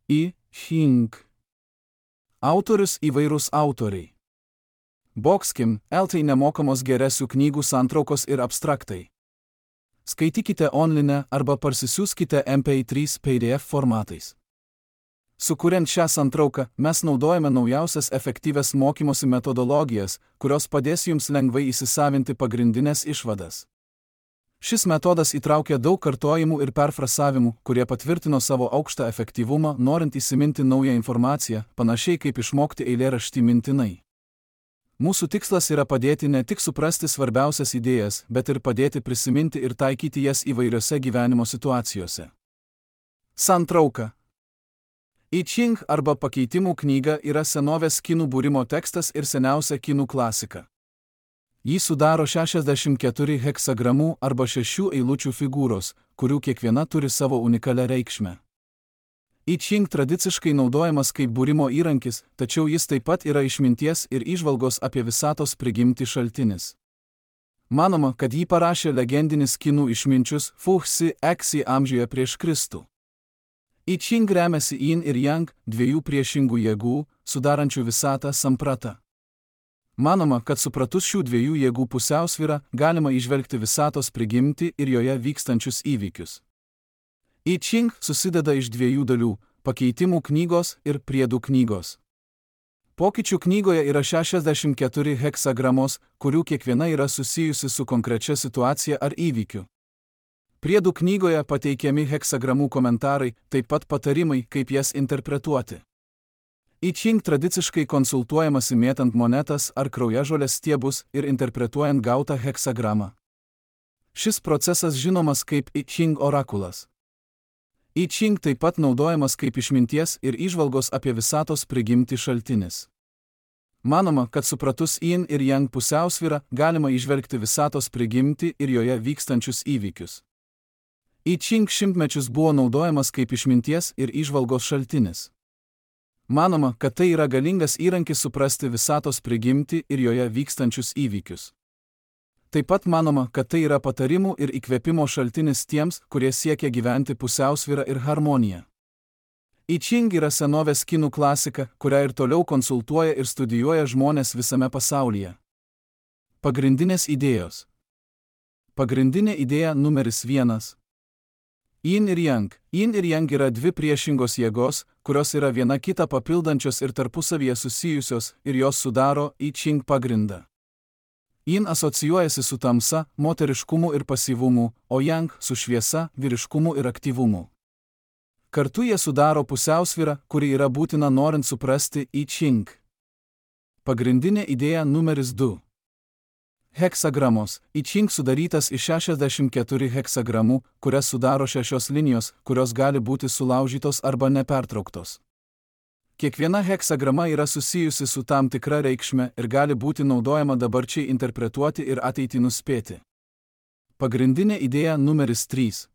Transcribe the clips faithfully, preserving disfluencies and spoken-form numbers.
I Ching. Autorius įvairūs autoriai. Boxkim, eltai nemokamos geresių knygų santraukos ir abstraktai. Skaitykite online arba parsisiųskite M P trys P D F formatais. Sukuriant šią santrauką, mes naudojame naujausias efektyvias mokymosi metodologijas, kurios padės jums lengvai įsisavinti pagrindinės išvadas. Šis metodas įtraukia daug kartojimų ir perfrasavimų, kurie patvirtino savo aukštą efektyvumą, norint įsiminti naują informaciją, panašiai kaip išmokti eilėraštį mintinai. Mūsų tikslas yra padėti ne tik suprasti svarbiausias idėjas, bet ir padėti prisiminti ir taikyti jas įvairiose gyvenimo situacijose. Santrauka. I Ching arba pakeitimų knyga yra senovės kinų būrimo tekstas ir seniausia kinų klasika. Jį sudaro šešiasdešimt keturi heksagramų arba šešių eilučių figūros, kurių kiekviena turi savo unikalią reikšmę. I Ching tradiciškai naudojamas kaip būrimo įrankis, tačiau jis taip pat yra išminties ir įžvalgos apie visatos prigimtį šaltinis. Manoma, kad jį parašė legendinis kinų išminčius Fu Xi Xi amžiuje prieš Kristų. I Ching remiasi Yin ir Yang, dviejų priešingų jėgų, sudarančių visatą sampratą. Manoma, kad supratus šių dviejų jėgų pusiausvyrą, galima įžvelgti visatos prigimtį ir joje vykstančius įvykius. I Ching susideda iš dviejų dalių – pakeitimų knygos ir priedų knygos. Pokyčių knygoje yra šešiasdešimt keturi heksagramos, kurių kiekviena yra susijusi su konkrečia situacija ar įvykiu. Priedų knygoje pateikiami heksagramų komentarai, taip pat patarimai, kaip jas interpretuoti. I Ching tradiciškai konsultuojamasi mėtant monetas ar kraujažolės stiebus ir interpretuojant gautą heksagramą. Šis procesas žinomas kaip I Ching orakulas. I Ching taip pat naudojamas kaip išminties ir įžvalgos apie visatos prigimtį šaltinis. Manoma, kad supratus Yin ir Yang pusiausvyrą, galima įžvelgti visatos prigimtį ir joje vykstančius įvykius. I Ching šimtmečius buvo naudojamas kaip išminties ir įžvalgos šaltinis. Manoma, kad tai yra galingas įrankis suprasti visatos prigimtį ir joje vykstančius įvykius. Taip pat manoma, kad tai yra patarimų ir įkvėpimo šaltinis tiems, kurie siekia gyventi pusiausvyrą ir harmoniją. I Ching yra senovės kinų klasika, kurią ir toliau konsultuoja ir studijuoja žmonės visame pasaulyje. Pagrindinės idėjos. Pagrindinė idėja numeris vienas. Yin ir Yang. Yin ir Yang yra dvi priešingos jėgos, kurios yra viena kitą papildančios ir tarpusavyje susijusios, ir jos sudaro I Ching pagrindą. Yin asocijuojasi su tamsa, moteriškumu ir pasyvumu, o Yang su šviesa, vyriškumu ir aktyvumu. Kartu jie sudaro pusiausvyrą, kuri yra būtina norint suprasti I Ching. Pagrindinė idėja numeris du. Heksagramos. I Ching sudarytas iš šešiasdešimt keturių heksagramų, kurias sudaro šešios linijos, kurios gali būti sulaužytos arba nepertrauktos. Kiekviena heksagrama yra susijusi su tam tikra reikšme ir gali būti naudojama dabarčiai interpretuoti ir ateitį nuspėti. Pagrindinė idėja numeris trys.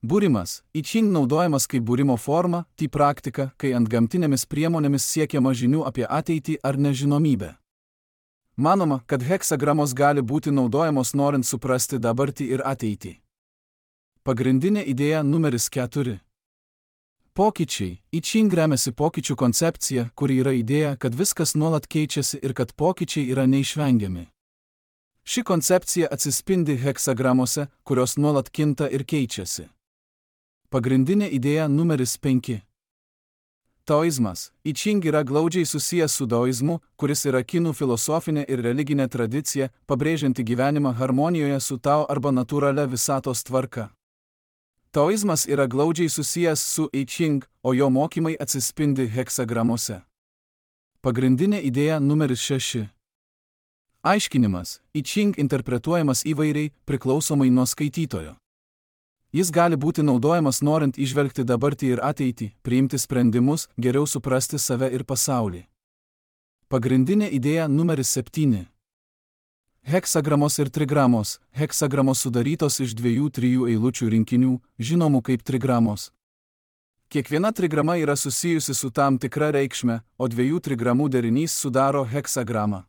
Būrimas. I Ching naudojamas kaip būrimo forma, tai praktika, kai ant gamtinėmis priemonėmis siekiama žinių apie ateitį ar nežinomybę. Manoma, kad heksagramos gali būti naudojamos norint suprasti dabartį ir ateitį. Pagrindinė idėja numeris keturi. Pokyčiai. I Ching remiasi pokyčių koncepcija, kuri yra idėja, kad viskas nuolat keičiasi ir kad pokyčiai yra neišvengiami. Ši koncepcija atsispindi heksagramose, kurios nuolat kinta ir keičiasi. Pagrindinė idėja numeris penki. Taoizmas. I Ching yra glaudžiai susijęs su daoizmu, kuris yra kinų filosofinė ir religinė tradicija, pabrėžianti gyvenimą harmonijoje su Tao arba natūralia visatos tvarka. Taoizmas yra glaudžiai susijęs su I Ching, o jo mokymai atsispindi heksagramose. Pagrindinė idėja numeris šeši. Aiškinimas. I Ching interpretuojamas įvairiai, priklausomai nuo skaitytojo. Jis gali būti naudojamas norint įžvelgti dabartį ir ateitį, priimti sprendimus, geriau suprasti save ir pasaulį. Pagrindinė idėja numeris septyni. Heksagramos ir trigramos. Heksagramos sudarytos iš dviejų trijų eilučių rinkinių, žinomų kaip trigramos. Kiekviena trigrama yra susijusi su tam tikra reikšme, o dviejų trigramų derinys sudaro heksagramą.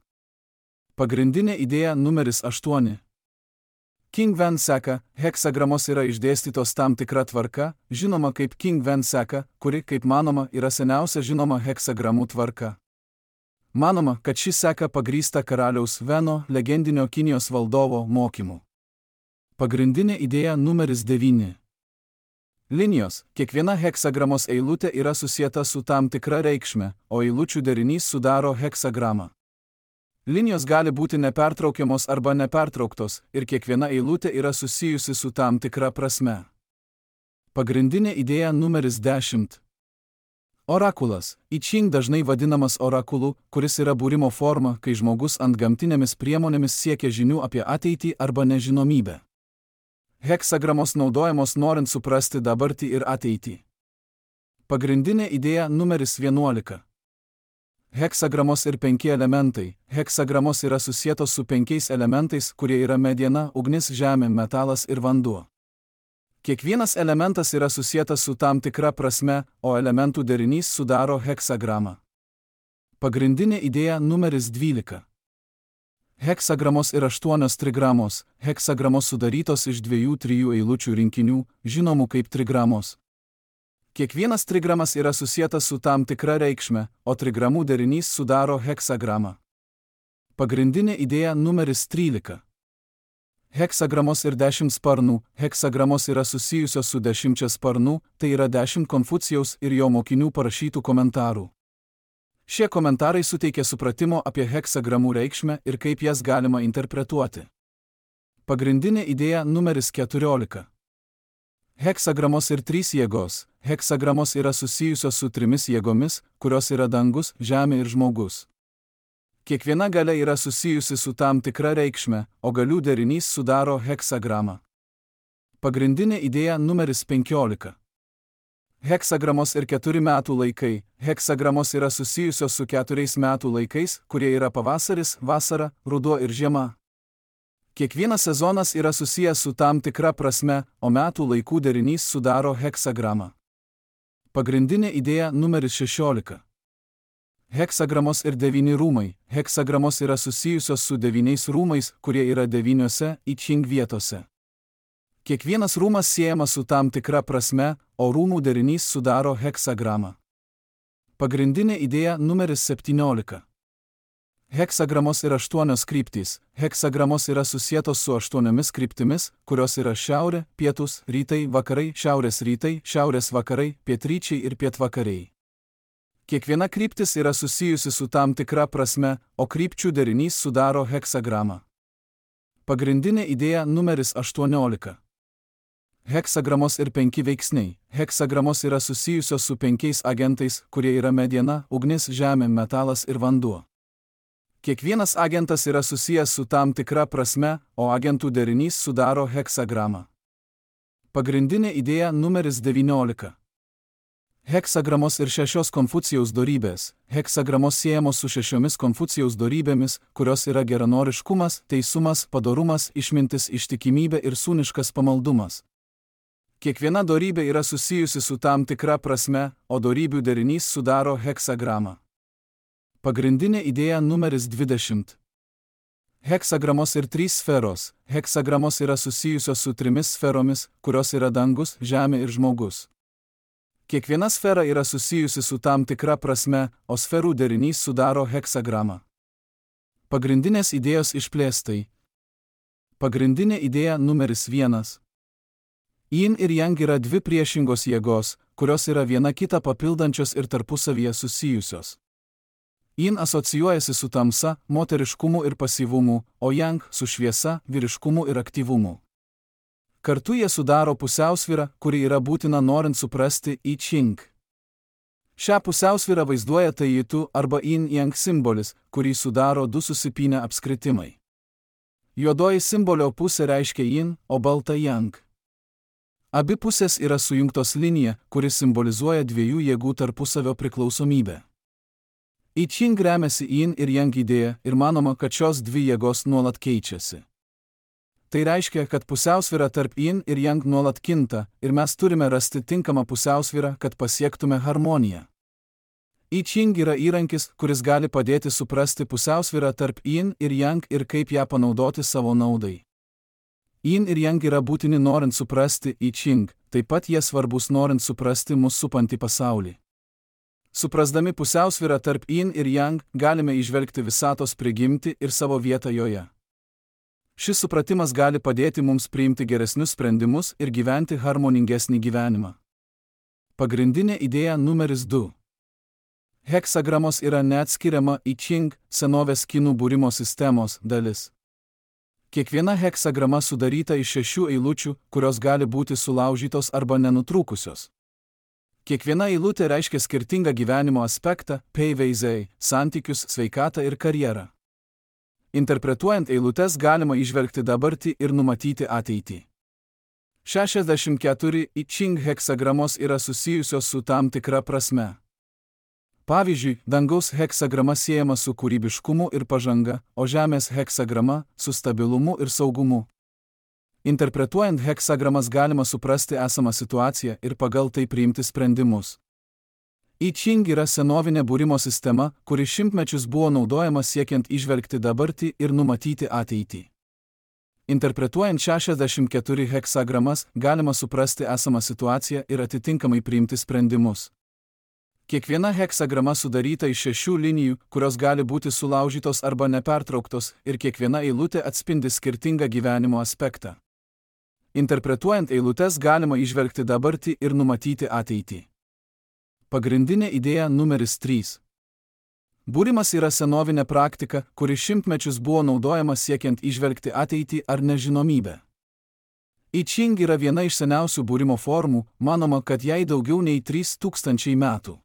Pagrindinė idėja numeris aštuoni. King-Ven seka, heksagramos yra išdėstytos tam tikra tvarka, žinoma kaip King-Ven seka, kuri, kaip manoma, yra seniausia žinoma heksagramų tvarka. Manoma, kad ši seka pagrįsta karaliaus Veno, legendinio Kinijos valdovo, mokymu. Pagrindinė idėja numeris devyni. Linijos. Kiekviena heksagramos eilutė yra susieta su tam tikra reikšme, o eilučių derinys sudaro heksagramą. Linijos gali būti nepertraukiamos arba nepertrauktos, ir kiekviena eilutė yra susijusi su tam tikra prasme. Pagrindinė idėja numeris dešimt. Orakulas. I Ching dažnai vadinamas orakulu, kuris yra būrimo forma, kai žmogus antgamtinėmis priemonėmis siekia žinių apie ateitį arba nežinomybę. Heksagramos naudojamos norint suprasti dabartį ir ateitį. Pagrindinė idėja numeris vienuolika. Heksagramos ir penki elementai. Heksagramos yra susietos su penkiais elementais, kurie yra mediena, ugnis, žemė, metalas ir vanduo. Kiekvienas elementas yra susietas su tam tikra prasme, o elementų derinys sudaro heksagramą. Pagrindinė idėja numeris dvylika. Heksagramos ir aštuonios trigramos. Heksagramos sudarytos iš dviejų trijų eilučių rinkinių, žinomų kaip trigramos. Kiekvienas trigramas yra susietas su tam tikra reikšme, o trigramų derinys sudaro heksagramą. Pagrindinė idėja numeris trylika. Heksagramos ir dešimt sparnų. Heksagramos yra susijusios su dešimčia sparnų, tai yra dešimt Konfucijaus ir jo mokinių parašytų komentarų. Šie komentarai suteikia supratimo apie heksagramų reikšmę ir kaip jas galima interpretuoti. Pagrindinė idėja numeris keturiolika. Heksagramos ir trys jėgos. Heksagramos yra susijusios su trimis jėgomis, kurios yra dangus, žemė ir žmogus. Kiekviena galia yra susijusi su tam tikra reikšme, o galių derinys sudaro heksagramą. Pagrindinė idėja numeris penkiolika. Heksagramos ir keturi metų laikai. Heksagramos yra susijusios su keturiais metų laikais, kurie yra pavasaris, vasara, ruduo ir žiema. Kiekvienas sezonas yra susijęs su tam tikra prasme, o metų laikų derinys sudaro heksagramą. Pagrindinė idėja numeris šešiolika. Heksagramos ir devyni rūmai. Heksagramos yra susijusios su devyniais rūmais, kurie yra devyniose I Ching vietose. Kiekvienas rūmas siejamas su tam tikra prasme, o rūmų derinys sudaro heksagramą. Pagrindinė idėja numeris septyniolika. Heksagramos ir aštuonios kryptys. Heksagramos yra susietos su aštuoniomis kryptimis, kurios yra šiaurė, pietus, rytai, vakarai, šiaurės rytai, šiaurės vakarai, pietryčiai ir pietvakariai. Kiekviena kryptis yra susijusi su tam tikra prasme, o krypčių derinys sudaro heksagramą. Pagrindinė idėja numeris aštuoniolika. Heksagramos ir penki veiksniai. Heksagramos yra susijusios su penkiais agentais, kurie yra mediena, ugnis, žemė, metalas ir vanduo. Kiekvienas agentas yra susijęs su tam tikra prasme, o agentų derinys sudaro heksagramą. Pagrindinė idėja numeris devyniolika. Heksagramos ir šešios Konfucijaus dorybės. Heksagramos siejamos su šešiomis Konfucijaus dorybėmis, kurios yra geranoriškumas, teisumas, padorumas, išmintis, ištikimybė ir sūniškas pamaldumas. Kiekviena dorybė yra susijusi su tam tikra prasme, o dorybių derinys sudaro heksagramą. Pagrindinė idėja numeris dvidešimt. Heksagramos ir trys sferos. Heksagramos yra susijusios su trimis sferomis, kurios yra dangus, žemė ir žmogus. Kiekviena sfera yra susijusi su tam tikra prasme, o sferų derinys sudaro heksagramą. Pagrindinės idėjos išplėstai. Pagrindinė idėja numeris vienas. Yin ir Yang yra dvi priešingos jėgos, kurios yra viena kitą papildančios ir tarpusavyje susijusios. Yin asocijuojasi su tamsa, moteriškumu ir pasyvumu, o Yang su šviesa, vyriškumu ir aktyvumu. Kartu jie sudaro pusiausvyrą, kuri yra būtina norint suprasti I Ching. Šią pusiausvyrą vaizduoja Taijitu arba Yin Yang simbolis, kurį sudaro du susipynę apskritimai. Juodoji simbolio pusė reiškia Yin, o balta Yang. Abi pusės yra sujungtos linija, kuri simbolizuoja dviejų jėgų tarpusavio priklausomybę. I Ching remiasi Yin ir Yang idėja ir manoma, kad šios dvi jėgos nuolat keičiasi. Tai reiškia, kad pusiausvyra tarp Yin ir Yang nuolat kinta ir mes turime rasti tinkamą pusiausvyrą, kad pasiektume harmoniją. I Ching yra įrankis, kuris gali padėti suprasti pusiausvyrą tarp Yin ir Yang ir kaip ją panaudoti savo naudai. Yin ir Yang yra būtini norint suprasti I Ching, taip pat jie svarbus norint suprasti mus supantį pasaulį. Suprasdami pusiausvyrą tarp Yin ir Yang, galime įžvelgti visatos prigimtį ir savo vietą joje. Šis supratimas gali padėti mums priimti geresnius sprendimus ir gyventi harmoningesnį gyvenimą. Pagrindinė idėja numeris du. Heksagramos yra neatskiriama I Ching, senovės kinų būrimo sistemos, dalis. Kiekviena heksagrama sudaryta iš šešių eilučių, kurios gali būti sulaužytos arba nenutrūkusios. Kiekviena eilutė reiškia skirtingą gyvenimo aspektą, peiveizei, santykius, sveikatą ir karjerą. Interpretuojant eilutes galima įžvelgti dabartį ir numatyti ateitį. šešiasdešimt keturi I Ching heksagramos yra susijusios su tam tikra prasme. Pavyzdžiui, dangaus heksagrama siejama su kūrybiškumu ir pažanga, o žemės heksagrama su stabilumu ir saugumu. Interpretuojant heksagramas galima suprasti esamą situaciją ir pagal tai priimti sprendimus. I Ching yra senovinė būrimo sistema, kuri šimtmečius buvo naudojama siekiant įžvelgti dabartį ir numatyti ateitį. Interpretuojant šešiasdešimt keturi heksagramas, galima suprasti esamą situaciją ir atitinkamai priimti sprendimus. Kiekviena heksagrama sudaryta iš šešių linijų, kurios gali būti sulaužytos arba nepertrauktos, ir kiekviena eilutė atspindi skirtingą gyvenimo aspektą. Interpretuojant eilutes galima įžvelgti dabartį ir numatyti ateitį. Pagrindinė idėja numeris trys. Būrimas yra senovinė praktika, kuri šimtmečius buvo naudojama siekiant įžvelgti ateitį ar nežinomybę. I Ching yra viena iš seniausių būrimo formų, manoma, kad jai daugiau nei trys tūkstančiai metų.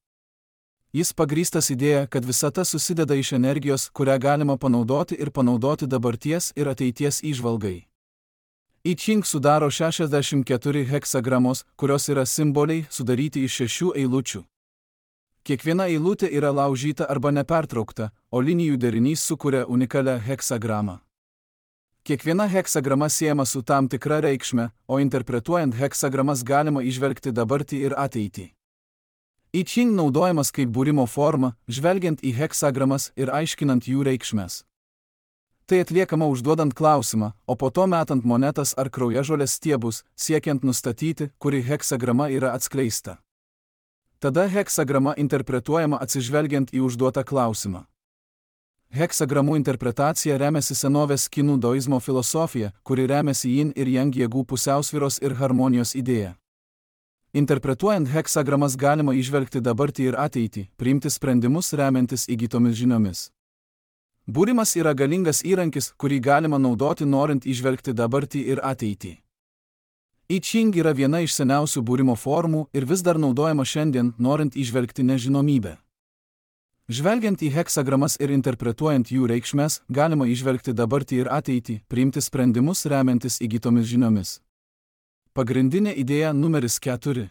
Jis pagrįstas idėja, kad visata susideda iš energijos, kurią galima panaudoti ir panaudoti dabarties ir ateities įžvalgai. I Ching sudaro šešiasdešimt keturi heksagramos, kurios yra simboliai sudaryti iš šešių eilučių. Kiekviena eilutė yra laužyta arba nepertraukta, o linijų derinys sukuria unikalią heksagramą. Kiekviena heksagrama siejama su tam tikra reikšme, o interpretuojant heksagramas galima įžvelgti dabartį ir ateitį. I Ching naudojamas kaip būrimo forma, žvelgiant į heksagramas ir aiškinant jų reikšmes. Tai atliekama užduodant klausimą, o po to metant monetas ar kraujažolės stiebus, siekiant nustatyti, kuri heksagrama yra atskleista. Tada heksagrama interpretuojama atsižvelgiant į užduotą klausimą. Heksagramų interpretacija remiasi senovės kinų daoizmo filosofija, kuri remiasi Yin ir Yang jėgų pusiausvyros ir harmonijos idėja. Interpretuojant heksagramas galima įžvelgti dabartį ir ateitį, priimti sprendimus remiantis įgytomis žiniomis. Būrimas yra galingas įrankis, kurį galima naudoti norint įžvelgti dabartį ir ateitį. I Ching yra viena iš seniausių būrimo formų ir vis dar naudojama šiandien, norint įžvelgti nežinomybę. Žvelgiant į heksagramas ir interpretuojant jų reikšmes, galima įžvelgti dabartį ir ateitį, priimti sprendimus remiantis įgytomis žiniomis. Pagrindinė idėja numeris keturi.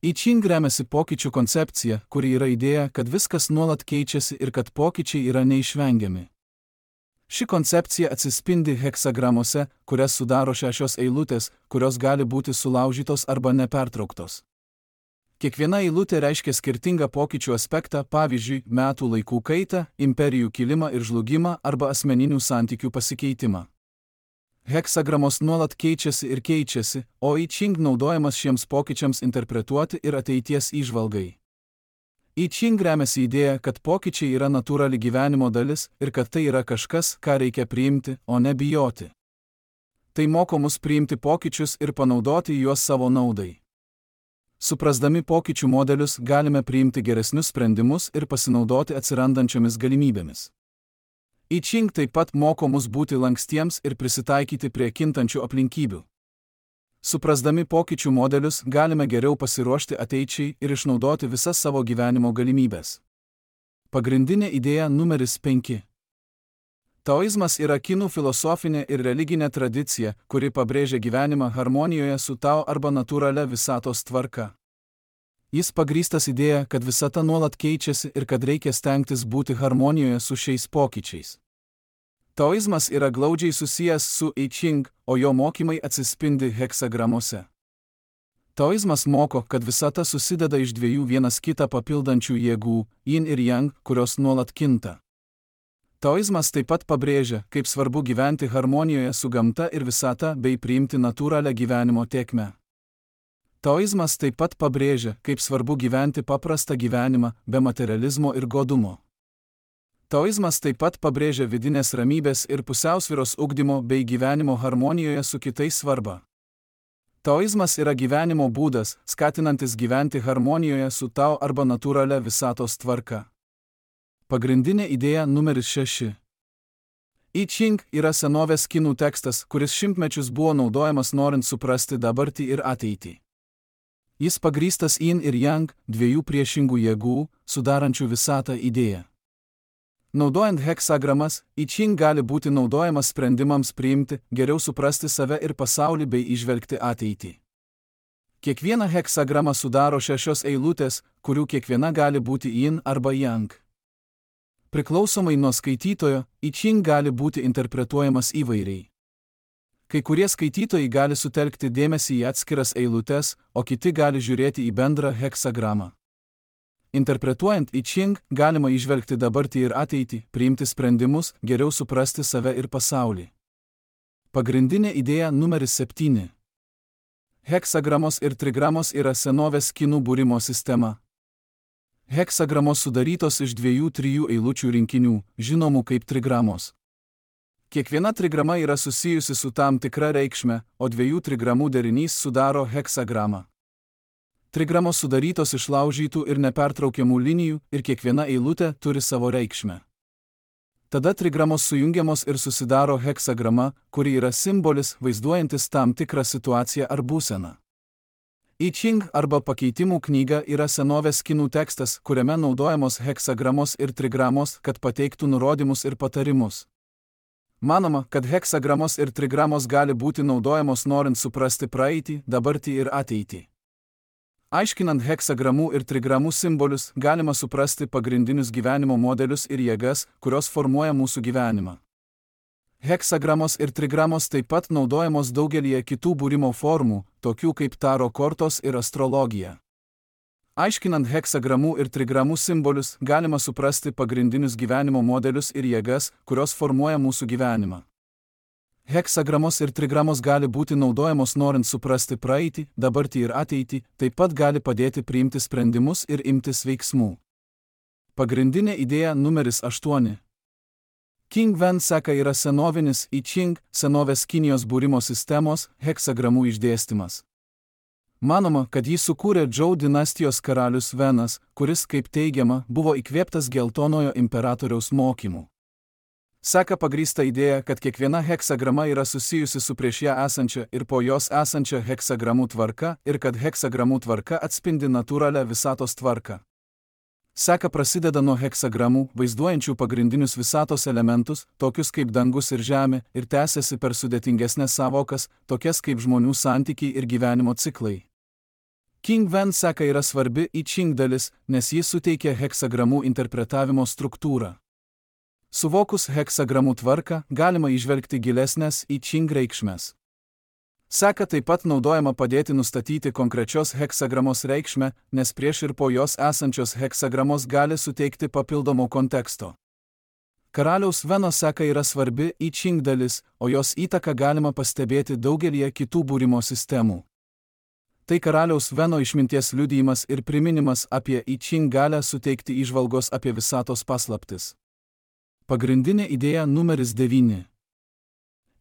I Ching remiasi pokyčių koncepcija, kuri yra idėja, kad viskas nuolat keičiasi ir kad pokyčiai yra neišvengiami. Ši koncepcija atsispindi heksagramuose, kurias sudaro šešios eilutės, kurios gali būti sulaužytos arba nepertrauktos. Kiekviena eilutė reiškia skirtingą pokyčių aspektą, pavyzdžiui, metų laikų kaitą, imperijų kilimą ir žlugimą arba asmeninių santykių pasikeitimą. Heksagramos nuolat keičiasi ir keičiasi, o I Ching naudojamas šiems pokyčiams interpretuoti ir ateities įžvalgai. I Ching remiasi idėja, kad pokyčiai yra natūrali gyvenimo dalis ir kad tai yra kažkas, ką reikia priimti, o ne bijoti. Tai moko mus priimti pokyčius ir panaudoti juos savo naudai. Suprasdami pokyčių modelius galime priimti geresnius sprendimus ir pasinaudoti atsirandančiomis galimybėmis. I Ching taip pat moko mus būti lankstiems ir prisitaikyti prie kintančių aplinkybių. Suprasdami pokyčių modelius galime geriau pasiruošti ateičiai ir išnaudoti visas savo gyvenimo galimybės. Pagrindinė idėja numeris penki. Taoizmas yra kinų filosofinė ir religinė tradicija, kuri pabrėžia gyvenimą harmonijoje su Tao arba natūralia visatos tvarka. Jis pagrįstas idėja, kad visata nuolat keičiasi ir kad reikia stengtis būti harmonijoje su šiais pokyčiais. Taoizmas yra glaudžiai susijęs su I Ching, o jo mokymai atsispindi heksagramuose. Taoizmas moko, kad visata susideda iš dviejų vienas kitą papildančių jėgų, Yin ir Yang, kurios nuolat kinta. Taoizmas taip pat pabrėžia, kaip svarbu gyventi harmonijoje su gamta ir visata bei priimti natūralią gyvenimo tėkmę. Taoizmas taip pat pabrėžia, kaip svarbu gyventi paprastą gyvenimą, be materializmo ir godumo. Taoizmas taip pat pabrėžia vidinės ramybės ir pusiausvyros ugdymo bei gyvenimo harmonijoje su kitais svarbą. Taoizmas yra gyvenimo būdas, skatinantis gyventi harmonijoje su Tao arba natūralia visatos tvarka. Pagrindinė idėja numeris šeši. I Ching yra senovės kinų tekstas, kuris šimtmečius buvo naudojamas norint suprasti dabartį ir ateitį. Jis pagrįstas Yin ir Yang, dviejų priešingų jėgų, sudarančių visatą idėją. Naudojant heksagramas, I Ching gali būti naudojamas sprendimams priimti, geriau suprasti save ir pasaulį bei įžvelgti ateitį. Kiekviena heksagrama sudaro šešios eilutės, kurių kiekviena gali būti Yin arba Yang. Priklausomai nuo skaitytojo, I Ching gali būti interpretuojamas įvairiai. Kai kurie skaitytojai gali sutelkti dėmesį į atskiras eilutes, o kiti gali žiūrėti į bendrą heksagramą. Interpretuojant I Ching, galima įžvelgti dabartį ir ateitį, priimti sprendimus, geriau suprasti save ir pasaulį. Pagrindinė idėja numeris septyni. Heksagramos ir trigramos yra senovės kinų būrimo sistema. Heksagramos sudarytos iš dviejų trijų eilučių rinkinių, žinomų kaip trigramos. Kiekviena trigrama yra susijusi su tam tikra reikšme, o dviejų trigramų derinys sudaro heksagramą. Trigramos sudarytos iš laužytų ir nepertraukiamų linijų ir kiekviena eilutė turi savo reikšmę. Tada trigramos sujungiamos ir susidaro heksagrama, kuri yra simbolis, vaizduojantis tam tikrą situaciją ar būseną. I Ching arba pakeitimų knyga yra senovės kinų tekstas, kuriame naudojamos heksagramos ir trigramos, kad pateiktų nurodymus ir patarimus. Manoma, kad heksagramos ir trigramos gali būti naudojamos norint suprasti praeitį, dabartį ir ateitį. Aiškinant heksagramų ir trigramų simbolius, galima suprasti pagrindinius gyvenimo modelius ir jėgas, kurios formuoja mūsų gyvenimą. Heksagramos ir trigramos taip pat naudojamos daugelyje kitų būrimo formų, tokių kaip taro kortos ir astrologija. Aiškinant heksagramų ir trigramų simbolius, galima suprasti pagrindinius gyvenimo modelius ir jėgas, kurios formuoja mūsų gyvenimą. Heksagramos ir trigramos gali būti naudojamos norint suprasti praeitį, dabartį ir ateitį, taip pat gali padėti priimti sprendimus ir imtis veiksmų. Pagrindinė idėja numeris aštuoni. King Wen seka yra senovinis I Ching, senovės Kinijos būrimo sistemos, heksagramų išdėstymas. Manoma, kad jį sukūrė Zhou dinastijos karalius Venas, kuris, kaip teigiama, buvo įkvėptas geltonojo imperatoriaus mokymų. Seka pagrįsta idėja, kad kiekviena heksagrama yra susijusi su prieš ją esančia ir po jos esančia heksagramų tvarka ir kad heksagramų tvarka atspindi natūralią visatos tvarką. Seka prasideda nuo heksagramų, vaizduojančių pagrindinius visatos elementus, tokius kaip dangus ir žemė, ir tęsiasi per sudėtingesnės savokas, tokias kaip žmonių santykiai ir gyvenimo ciklai. King Wen seka yra svarbi I Ching dalis, nes jis suteikia heksagramų interpretavimo struktūrą. Suvokus heksagramų tvarką, galima įžvelgti gilesnės I Ching reikšmes. Seka taip pat naudojama padėti nustatyti konkrečios heksagramos reikšmę, nes prieš ir po jos esančios heksagramos gali suteikti papildomo konteksto. Karaliaus Veno seka yra svarbi I Ching dalis, o jos įtaką galima pastebėti daugelyje kitų būrimo sistemų. Tai karaliaus Veno išminties liudijimas ir priminimas apie I Ching galę suteikti įžvalgos apie visatos paslaptis. Pagrindinė idėja numeris devyni.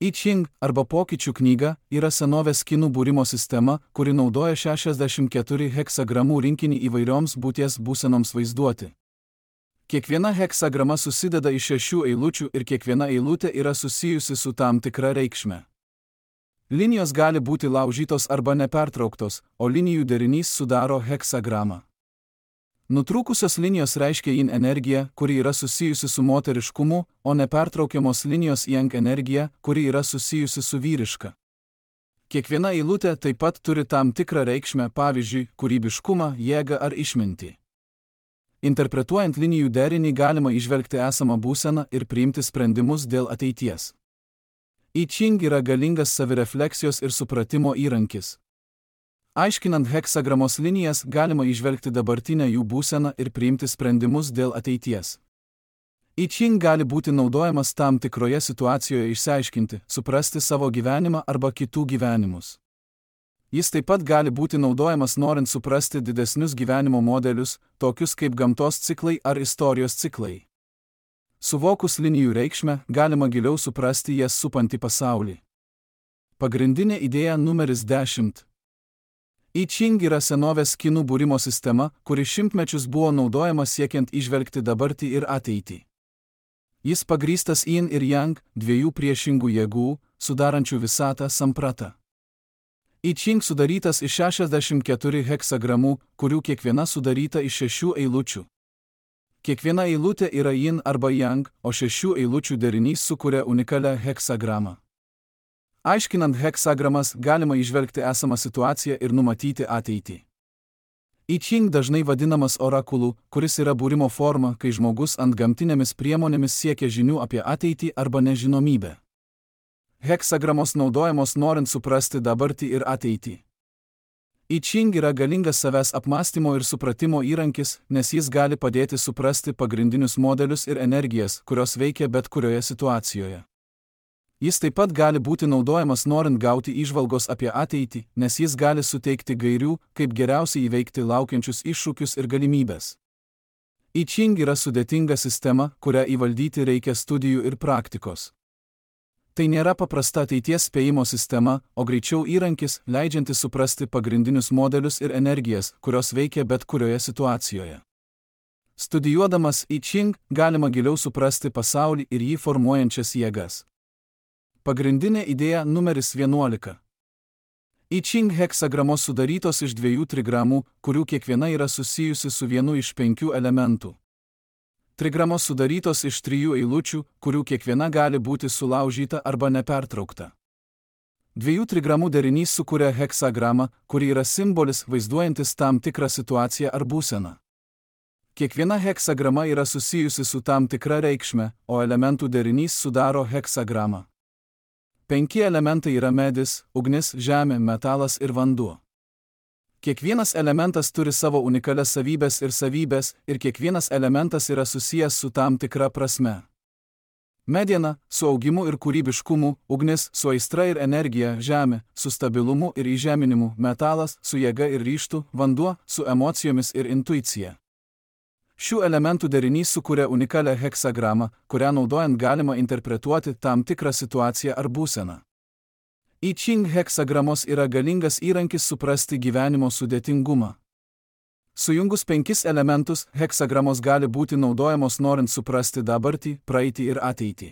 I Ching, arba pokyčių knyga, yra senovės kinų būrimo sistema, kuri naudoja šešiasdešimt keturių heksagramų rinkinį įvairioms būties būsenoms vaizduoti. Kiekviena heksagrama susideda iš šešių eilučių ir kiekviena eilutė yra susijusi su tam tikra reikšme. Linijos gali būti laužytos arba nepertrauktos, o linijų derinys sudaro heksagramą. Nutrūkusios linijos reiškia yin energiją, kuri yra susijusi su moteriškumu, o nepertraukiamos linijos yang energiją, kuri yra susijusi su vyriška. Kiekviena eilutė taip pat turi tam tikrą reikšmę, pavyzdžiui, kūrybiškumą, jėgą ar išmintį. Interpretuojant linijų derinį galima įžvelgti esamą būseną ir priimti sprendimus dėl ateities. I Ching yra galingas savirefleksijos ir supratimo įrankis. Aiškinant heksagramos linijas galima įžvelgti dabartinę jų būseną ir priimti sprendimus dėl ateities. I Ching gali būti naudojamas tam tikroje situacijoje išsiaiškinti, suprasti savo gyvenimą arba kitų gyvenimus. Jis taip pat gali būti naudojamas norint suprasti didesnius gyvenimo modelius, tokius kaip gamtos ciklai ar istorijos ciklai. Suvokus linijų reikšmę, galima giliau suprasti jas supantį pasaulį. Pagrindinė idėja numeris dešimt. I Ching yra senovės kinų būrimo sistema, kuri šimtmečius buvo naudojama siekiant įžvelgti dabartį ir ateitį. Jis pagrįstas yin ir yang, dviejų priešingų jėgų, sudarančių visatą sampratą. I Ching sudarytas iš šešiasdešimt keturių heksagramų, kurių kiekviena sudaryta iš šešių eilučių. Kiekviena eilutė yra yin arba yang, o šešių eilučių derinys sukuria unikalią heksagramą. Aiškinant heksagramas, galima įžvelgti esamą situaciją ir numatyti ateitį. I Ching dažnai vadinamas orakulu, kuris yra būrimo forma, kai žmogus antgamtinėmis priemonėmis siekia žinių apie ateitį arba nežinomybę. Heksagramos naudojamos norint suprasti dabartį ir ateitį. I Ching yra galingas savęs apmąstymo ir supratimo įrankis, nes jis gali padėti suprasti pagrindinius modelius ir energijas, kurios veikia bet kurioje situacijoje. Jis taip pat gali būti naudojamas norint gauti įžvalgos apie ateitį, nes jis gali suteikti gairių, kaip geriausiai įveikti laukiančius iššūkius ir galimybės. I Ching yra sudėtinga sistema, kurią įvaldyti reikia studijų ir praktikos. Tai nėra paprasta ateities spėjimo sistema, o greičiau įrankis, leidžiantis suprasti pagrindinius modelius ir energijas, kurios veikia bet kurioje situacijoje. Studijuodamas I Ching, galima giliau suprasti pasaulį ir jį formuojančias jėgas. Pagrindinė idėja numeris vienuolika. I Ching heksagramos sudarytos iš dviejų trigramų, kurių kiekviena yra susijusi su vienu iš penkių elementų. Trigramos sudarytos iš trijų eilučių, kurių kiekviena gali būti sulaužyta arba nepertraukta. Dviejų trigramų derinys sukuria heksagramą, kuri yra simbolis vaizduojantis tam tikrą situaciją ar būseną. Kiekviena heksagrama yra susijusi su tam tikra reikšme, o elementų derinys sudaro heksagramą. Penki elementai yra medis, ugnis, žemė, metalas ir vanduo. Kiekvienas elementas turi savo unikalias savybės ir savybės, ir kiekvienas elementas yra susijęs su tam tikra prasme. Mediena – su augimu ir kūrybiškumu, ugnis – su aistra ir energija, žemė – su stabilumu ir įžeminimu, metalas – su jėga ir ryžtu, vanduo – su emocijomis ir intuicija. Šių elementų derinys sukuria unikalią heksagramą, kurią naudojant galima interpretuoti tam tikrą situaciją ar būseną. I Ching heksagramos yra galingas įrankis suprasti gyvenimo sudėtingumą. Sujungus penkis elementus, heksagramos gali būti naudojamos norint suprasti dabartį, praeitį ir ateitį.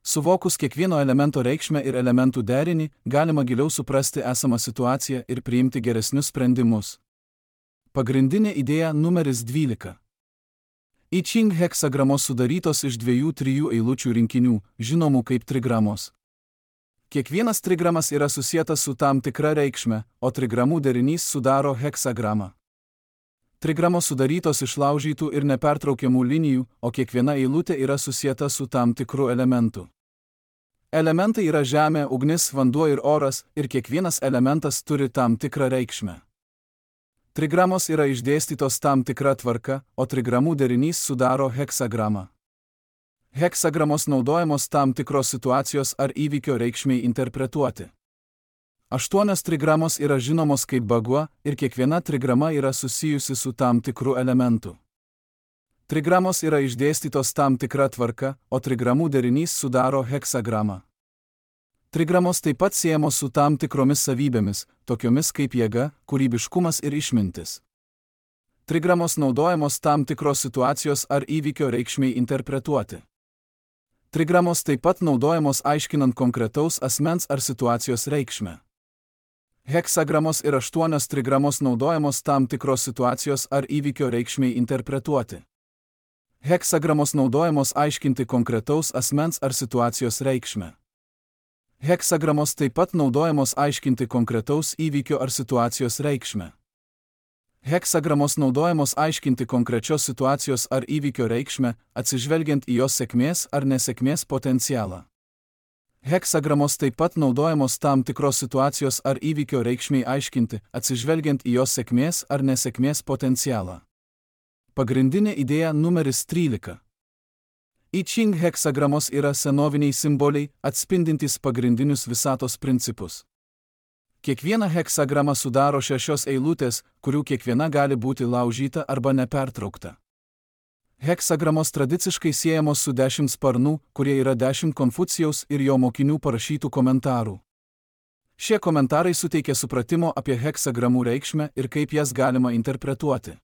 Suvokus kiekvieno elemento reikšmę ir elementų derinį, galima giliau suprasti esamą situaciją ir priimti geresnius sprendimus. Pagrindinė idėja numeris dvylika. I Ching heksagramos sudarytos iš dviejų trijų eilučių rinkinių, žinomų kaip trigramos. Kiekvienas trigramas yra susietas su tam tikra reikšme, o trigramų derinys sudaro heksagramą. Trigramos sudarytos iš laužytų ir nepertraukiamų linijų, o kiekviena eilutė yra susieta su tam tikru elementu. Elementai yra žemė, ugnis, vanduo ir oras, ir kiekvienas elementas turi tam tikrą reikšmę. Trigramos yra išdėstytos tam tikra tvarka, o trigramų derinys sudaro heksagramą. Heksagramos naudojamos tam tikros situacijos ar įvykio reikšmei interpretuoti. Aštuonios trigramos yra žinomos kaip bagua ir kiekviena trigrama yra susijusi su tam tikru elementu. Trigramos yra išdėstytos tam tikra tvarka, o trigramų derinys sudaro heksagramą. Trigramos taip pat siejamos su tam tikromis savybėmis, tokiomis kaip jėga, kūrybiškumas ir išmintis. Trigramos naudojamos tam tikros situacijos ar įvykio reikšmei interpretuoti. Trigramos taip pat naudojamos aiškinant konkretaus asmens ar situacijos reikšmę. Heksagramos ir aštuonios trigramos naudojamos tam tikros situacijos ar įvykio reikšmei interpretuoti. Heksagramos naudojamos aiškinti konkretaus asmens ar situacijos reikšmę. Heksagramos taip pat naudojamos aiškinti konkretaus įvykio ar situacijos reikšmę. Heksagramos naudojamos aiškinti konkrečios situacijos ar įvykio reikšmę, atsižvelgiant į jos sėkmės ar nesėkmės potencialą. Heksagramos taip pat naudojamos tam tikros situacijos ar įvykio reikšmei aiškinti, atsižvelgiant į jos sėkmės ar nesėkmės potencialą. Pagrindinė idėja numeris trylika. I Ching heksagramos yra senoviniai simboliai, atspindintys pagrindinius visatos principus. Kiekviena heksagrama sudaro šešios eilutės, kurių kiekviena gali būti laužyta arba nepertraukta. Heksagramos tradiciškai siejamos su dešimt sparnų, kurie yra dešimt Konfucijaus ir jo mokinių parašytų komentarų. Šie komentarai suteikia supratimo apie heksagramų reikšmę ir kaip jas galima interpretuoti.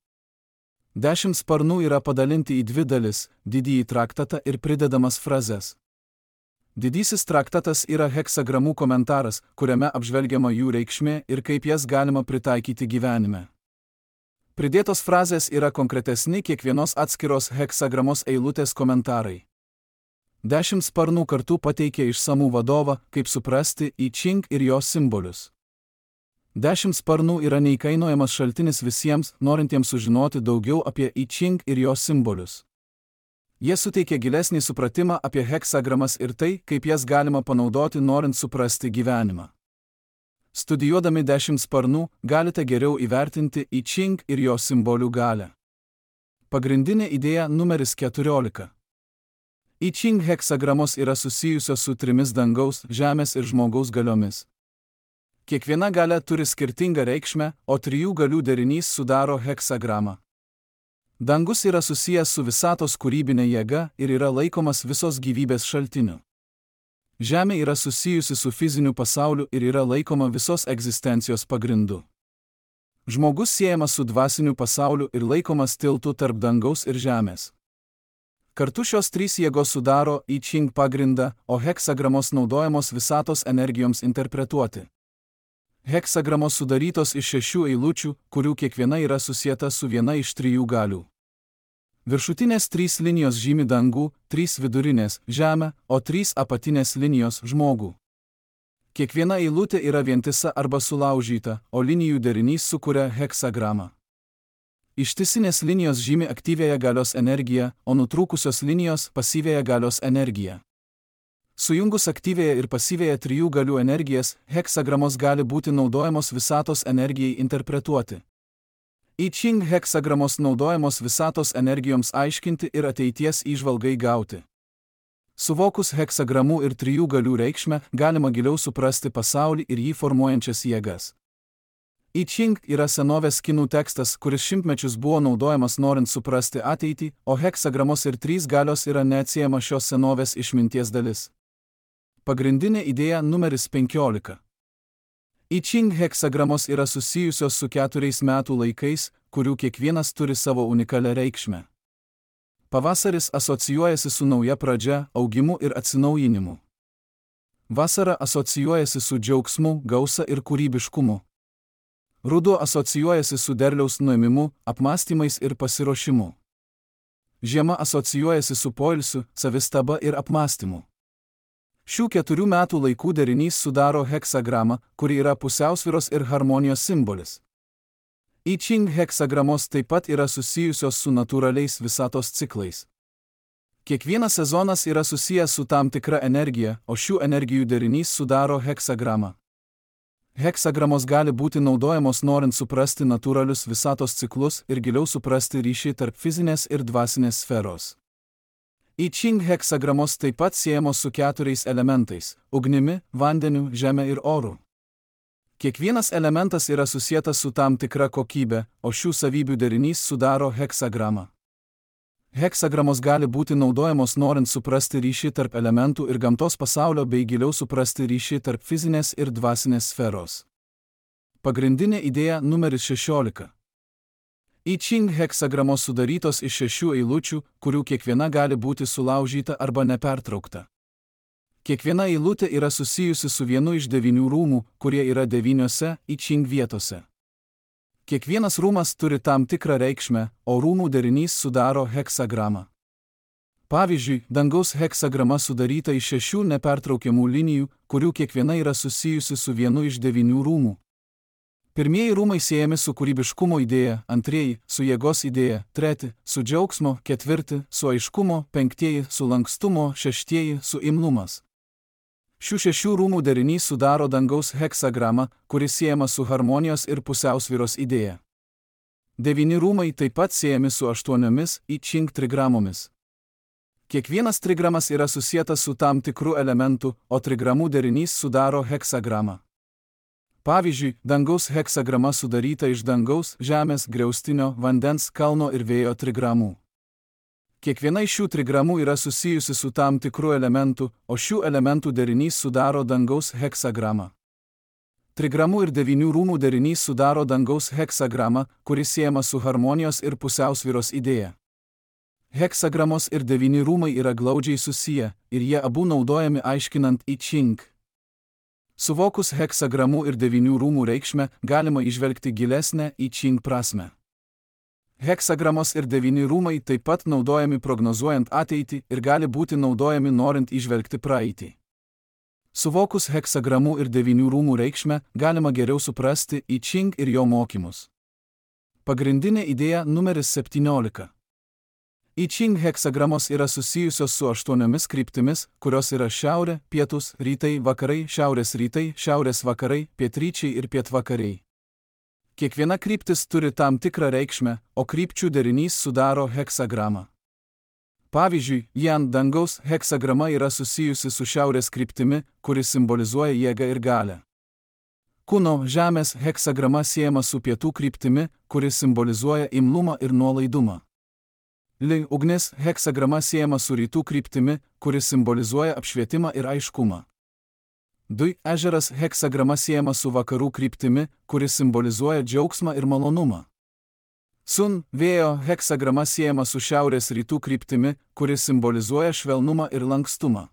Dešimt sparnų yra padalinti į dvi dalis – didįjį traktatą ir pridedamas frazes. Didysis traktatas yra heksagramų komentaras, kuriame apžvelgiama jų reikšmė ir kaip jas galima pritaikyti gyvenime. Pridėtos frazės yra konkretesni kiekvienos atskiros heksagramos eilutės komentarai. Dešimt sparnų kartu pateikia išsamų vadovą, kaip suprasti I Ching ir jos simbolius. Dešimt sparnų yra neįkainojamas šaltinis visiems, norintiems sužinoti daugiau apie I Ching ir jos simbolius. Jie suteikia gilesnį supratimą apie heksagramas ir tai, kaip jas galima panaudoti norint suprasti gyvenimą. Studijuodami dešimt sparnų, galite geriau įvertinti I Ching ir jos simbolių galią. Pagrindinė idėja numeris keturiolika. I Ching heksagramos yra susijusios su trimis dangaus, žemės ir žmogaus galiomis. Kiekviena galia turi skirtingą reikšmę, o trijų galių derinys sudaro heksagramą. Dangus yra susijęs su visatos kūrybinė jėga ir yra laikomas visos gyvybės šaltiniu. Žemė yra susijusi su fiziniu pasauliu ir yra laikoma visos egzistencijos pagrindu. Žmogus siejamas su dvasiniu pasauliu ir laikomas tiltu tarp dangaus ir žemės. Kartu šios trys jėgos sudaro I Ching pagrindą, o heksagramos naudojamos visatos energijoms interpretuoti. Heksagramos sudarytos iš šešių eilučių, kurių kiekviena yra susieta su viena iš trijų galių. Viršutinės trys linijos žymi dangų, trys vidurinės – žemę, o trys apatinės linijos – žmogų. Kiekviena eilutė yra vientisa arba sulaužyta, o linijų derinys sukuria heksagramą. Ištisinės linijos žymi aktyviąją galios energiją, o nutrūkusios linijos – pasyviąją galios energiją. Sujungus aktyviąją ir pasyviąją trijų galių energijas, heksagramos gali būti naudojamos visatos energijai interpretuoti. I Ching heksagramos naudojamos visatos energijoms aiškinti ir ateities įžvalgai gauti. Suvokus heksagramų ir trijų galių reikšmę, galima giliau suprasti pasaulį ir jį formuojančias jėgas. I Ching yra senovės kinų tekstas, kuris šimtmečius buvo naudojamas norint suprasti ateitį, o heksagramos ir trys galios yra neatsiejama šios senovės išminties dalis. Pagrindinė idėja numeris penkiolika. I Ching heksagramos yra susijusios su keturiais metų laikais, kurių kiekvienas turi savo unikalią reikšmę. Pavasaris asocijuojasi su nauja pradžia, augimu ir atsinaujinimu. Vasara asocijuojasi su džiaugsmu, gausa ir kūrybiškumu. Ruduo asocijuojasi su derliaus nuėmimu, apmąstymais ir pasiruošimu. Žiema asocijuojasi su poilsiu, savistaba ir apmąstymu. Šių keturių metų laikų derinys sudaro heksagramą, kuri yra pusiausvyros ir harmonijos simbolis. I Ching heksagramos taip pat yra susijusios su natūraliais visatos ciklais. Kiekvienas sezonas yra susijęs su tam tikra energija, o šių energijų derinys sudaro heksagramą. Heksagramos gali būti naudojamos norint suprasti natūralius visatos ciklus ir giliau suprasti ryšį tarp fizinės ir dvasinės sferos. I Ching heksagramos taip pat siejamos su keturiais elementais – ugnimi, vandeniu, žeme ir oru. Kiekvienas elementas yra susietas su tam tikra kokybė, o šių savybių derinys sudaro heksagramą. Heksagramos gali būti naudojamos norint suprasti ryšį tarp elementų ir gamtos pasaulio bei giliau suprasti ryšį tarp fizinės ir dvasinės sferos. Pagrindinė idėja numeris šešiolika. I Ching heksagramos sudarytos iš šešių eilučių, kurių kiekviena gali būti sulaužyta arba nepertraukta. Kiekviena eilutė yra susijusi su vienu iš devynių rūmų, kurie yra devyniose I Ching vietose. Kiekvienas rūmas turi tam tikrą reikšmę, o rūmų derinys sudaro heksagramą. Pavyzdžiui, dangaus heksagrama sudaryta iš šešių nepertraukiamų linijų, kurių kiekviena yra susijusi su vienu iš devynių rūmų. Pirmieji rūmai siejami su kūrybiškumo idėja, antrieji – su jėgos idėja, treti – su džiaugsmo, ketvirti – su aiškumo, penktieji – su lankstumo, šeštieji – su imlumas. Šių šešių rūmų derinys sudaro dangaus heksagramą, kuris siejama su harmonijos ir pusiausvyros idėja. Devyni rūmai taip pat siejami su aštuoniomis I Ching trigramomis. Kiekvienas trigramas yra susietas su tam tikru elementu, o trigramų derinys sudaro heksagramą. Pavyzdžiui, dangaus heksagrama sudaryta iš dangaus, žemės, griaustinio, vandens, kalno ir vėjo trigramų. Kiekviena iš šių trigramų yra susijusi su tam tikru elementu, o šių elementų derinys sudaro dangaus heksagramą. Trigramų ir devynių rūmų derinys sudaro dangaus heksagramą, kuris siejama su harmonijos ir pusiausvyros idėja. Heksagramos ir devyni rūmai yra glaudžiai susiję, ir jie abu naudojami aiškinant I Ching. Suvokus heksagramų ir devynių rūmų reikšmę, galima įžvelgti gilesnę I Ching prasmę. Heksagramos ir devyni rūmai taip pat naudojami prognozuojant ateitį ir gali būti naudojami norint įžvelgti praeitį. Suvokus heksagramų ir devynių rūmų reikšmę, galima geriau suprasti I Ching ir jo mokymus. Pagrindinė idėja numeris septyniolika. I Ching heksagramos yra susijusios su aštuoniomis kryptimis, kurios yra šiaurė, pietus, rytai, vakarai, šiaurės rytai, šiaurės vakarai, pietryčiai ir pietvakariai. Kiekviena kryptis turi tam tikrą reikšmę, o krypčių derinys sudaro heksagramą. Pavyzdžiui, Jan dangaus heksagrama yra susijusi su šiaurės kryptimi, kuri simbolizuoja jėgą ir galią. Kuno žemės heksagrama siejama su pietų kryptimi, kuri simbolizuoja imlumą ir nuolaidumą. Li ugnis heksagrama siejama su rytų kryptimi, kuri simbolizuoja apšvietimą ir aiškumą. Dui ežeras heksagrama siejama su vakarų kryptimi, kuri simbolizuoja džiaugsmą ir malonumą. Sun vėjo heksagrama siejama su šiaurės rytų kryptimi, kuri simbolizuoja švelnumą ir lankstumą.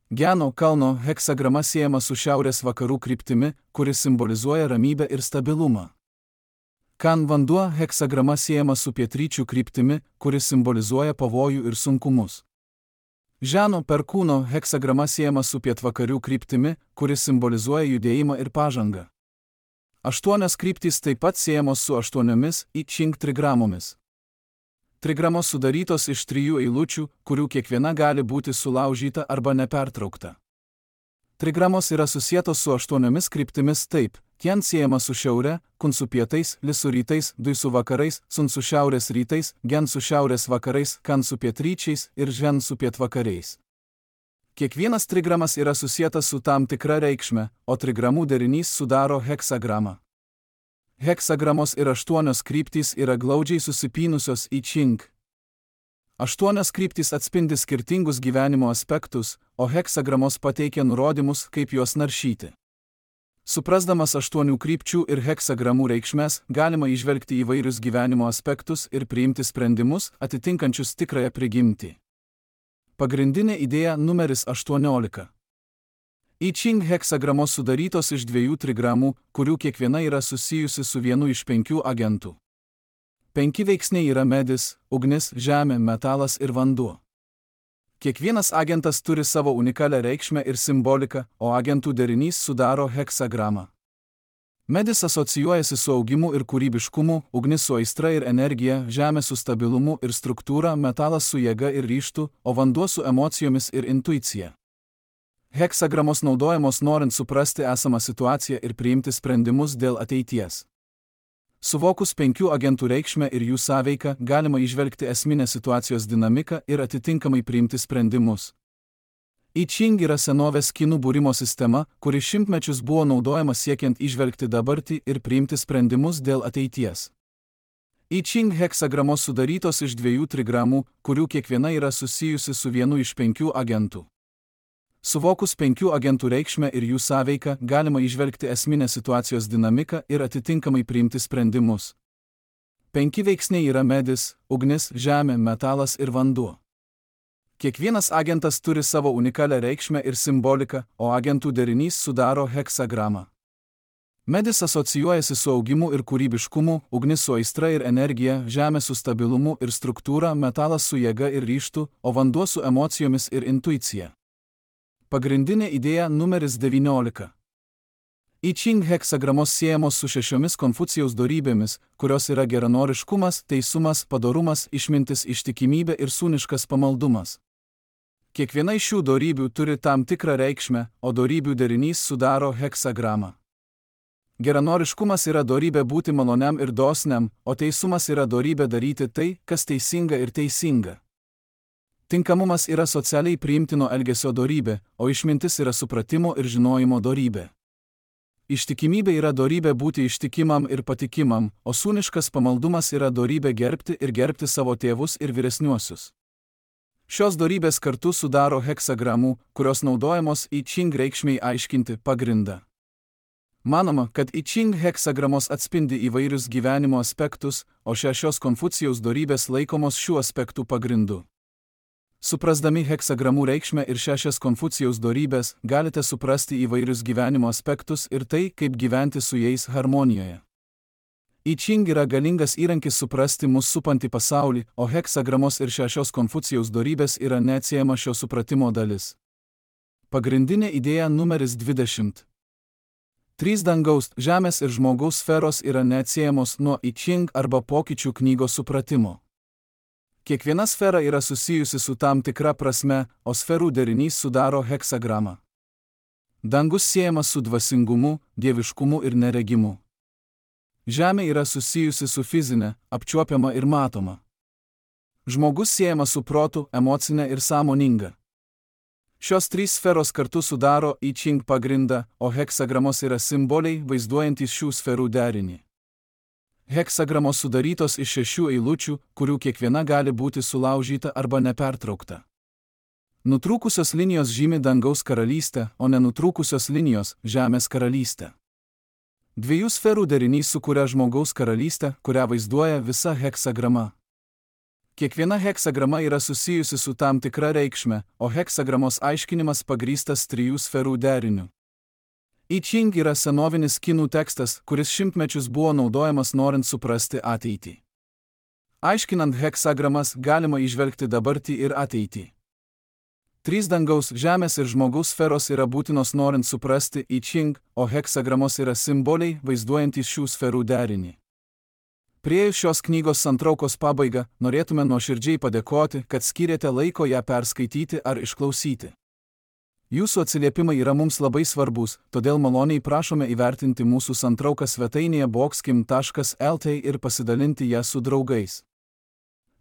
Geno kalno heksagrama siejama su šiaurės vakarų kryptimi, kuri simbolizuoja ramybę ir stabilumą. Kan vanduo heksagrama siejama su pietryčių kryptimi, kuri simbolizuoja pavojų ir sunkumus. Ženo perkūno heksagrama siejama su pietvakarių kryptimi, kuri simbolizuoja judėjimą ir pažangą. Aštuonios kryptys taip pat siejamos su aštuoniomis I Ching trigramomis. Trigramos sudarytos iš trijų eilučių, kurių kiekviena gali būti sulaužyta arba nepertraukta. Trigramos yra susietos su aštuoniomis kryptimis taip: Tien siejama su šiaure, Kun su pietais, Li su rytais, Dui su vakarais, Sun su šiaurės rytais, Gen su šiaurės vakarais, Kan su pietryčiais ir Žen su pietvakariais. Kiekvienas trigramas yra susietas su tam tikra reikšme, o trigramų derinys sudaro heksagramą. Heksagramos ir aštuonios kryptys yra glaudžiai susipynusios I Ching. Aštuonios kryptys atspindi skirtingus gyvenimo aspektus, o heksagramos pateikia nurodymus, kaip juos naršyti. Suprasdamas aštuonių krypčių ir heksagramų reikšmes, galima įžvelgti įvairius gyvenimo aspektus ir priimti sprendimus, atitinkančius tikrąją prigimtį. Pagrindinė idėja numeris aštuoniolika. I Ching heksagramos sudarytos iš dviejų trigramų, kurių kiekviena yra susijusi su vienu iš penkių agentų. Penki veiksniai yra medis, ugnis, žemė, metalas ir vanduo. Kiekvienas agentas turi savo unikalią reikšmę ir simboliką, o agentų derinys sudaro heksagramą. Medis asocijuojasi su augimu ir kūrybiškumu, ugnis su aistra ir energija, žemė su stabilumu ir struktūra, metalas su jėga ir ryžtu, o vanduo su emocijomis ir intuicija. Heksagramos naudojamos norint suprasti esamą situaciją ir priimti sprendimus dėl ateities. Suvokus penkių agentų reikšmę ir jų sąveiką, galima įžvelgti esminę situacijos dinamiką ir atitinkamai priimti sprendimus. I Ching yra senovės kinų būrimo sistema, kuri šimtmečius buvo naudojama siekiant įžvelgti dabartį ir priimti sprendimus dėl ateities. I Ching heksagramos sudarytos iš dviejų trigramų, kurių kiekviena yra susijusi su vienu iš penkių agentų. Suvokus penkių agentų reikšmę ir jų sąveiką, galima įžvelgti esminę situacijos dinamiką ir atitinkamai priimti sprendimus. Penki veiksniai yra medis, ugnis, žemė, metalas ir vanduo. Kiekvienas agentas turi savo unikalią reikšmę ir simboliką, o agentų derinys sudaro heksagramą. Medis asocijuojasi su augimu ir kūrybiškumu, ugnis su aistra ir energija, žemė su stabilumu ir struktūra, metalas su jėga ir ryžtu, o vanduo su emocijomis ir intuicija. Pagrindinė idėja numeris devyniolika. I Ching heksagramos siejamos su šešiomis Konfucijaus dorybėmis, kurios yra geranoriškumas, teisumas, padorumas, išmintis, ištikimybė ir sūniškas pamaldumas. Kiekviena iš šių dorybių turi tam tikrą reikšmę, o dorybių derinys sudaro heksagramą. Geranoriškumas yra dorybė būti maloniam ir dosniam, o teisumas yra dorybė daryti tai, kas teisinga ir teisinga. Tinkamumas yra socialiai priimtino elgesio dorybė, o išmintis yra supratimo ir žinojimo dorybė. Ištikimybė yra dorybė būti ištikimam ir patikimam, o sūniškas pamaldumas yra dorybė gerbti ir gerbti savo tėvus ir vyresniuosius. Šios dorybės kartu sudaro heksagramų, kurios naudojamos I Ching reikšmei aiškinti pagrindą. Manoma, kad I Ching heksagramos atspindi įvairius gyvenimo aspektus, o šešios Konfucijaus dorybės laikomos šių aspektų pagrindu. Suprasdami heksagramų reikšmę ir šešias Konfucijaus dorybės, galite suprasti įvairius gyvenimo aspektus ir tai, kaip gyventi su jais harmonijoje. I Ching yra galingas įrankis suprasti mus supantį pasaulį, o heksagramos ir šešios Konfucijaus dorybės yra neatsiejama šio supratimo dalis. Pagrindinė idėja numeris dvidešimt. Trys dangaus, žemės ir žmogaus sferos yra neatsiejamos nuo I Ching arba pokyčių knygos supratimo. Kiekviena sfera yra susijusi su tam tikra prasme, o sferų derinys sudaro heksagramą. Dangus siejamas su dvasingumu, dieviškumu ir neregimu. Žemė yra susijusi su fizinė, apčiuopiama ir matoma. Žmogus siejamas su protu, emocinė ir sąmoninga. Šios trys sferos kartu sudaro I Ching pagrindą, o heksagramos yra simboliai vaizduojantys šių sferų derinį. Heksagramos sudarytos iš šešių eilučių, kurių kiekviena gali būti sulaužyta arba nepertraukta. Nutrūkusios linijos žymi dangaus karalystę, o nenutrūkusios linijos – žemės karalystę. Dviejų sferų derinys sukuria žmogaus karalystę, kurią vaizduoja visa heksagrama. Kiekviena heksagrama yra susijusi su tam tikra reikšme, o heksagramos aiškinimas pagrįstas trijų sferų deriniu. I Ching yra senovinis kinų tekstas, kuris šimtmečius buvo naudojamas norint suprasti ateitį. Aiškinant heksagramas galima įžvelgti dabartį ir ateitį. Trys dangaus, žemės ir žmogaus sferos yra būtinos norint suprasti I Ching, o heksagramos yra simboliai vaizduojantys šių sferų derinį. Priėjus šios knygos santraukos pabaigą, norėtume nuoširdžiai padėkoti, kad skyrėte laiko ją perskaityti ar išklausyti. Jūsų atsiliepimai yra mums labai svarbus, todėl maloniai prašome įvertinti mūsų santrauką svetainėje boxkim taškas el t ir pasidalinti ją su draugais.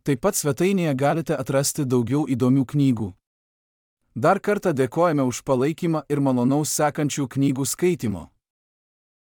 Taip pat svetainėje galite atrasti daugiau įdomių knygų. Dar kartą dėkojame už palaikymą ir malonaus sekančių knygų skaitimo.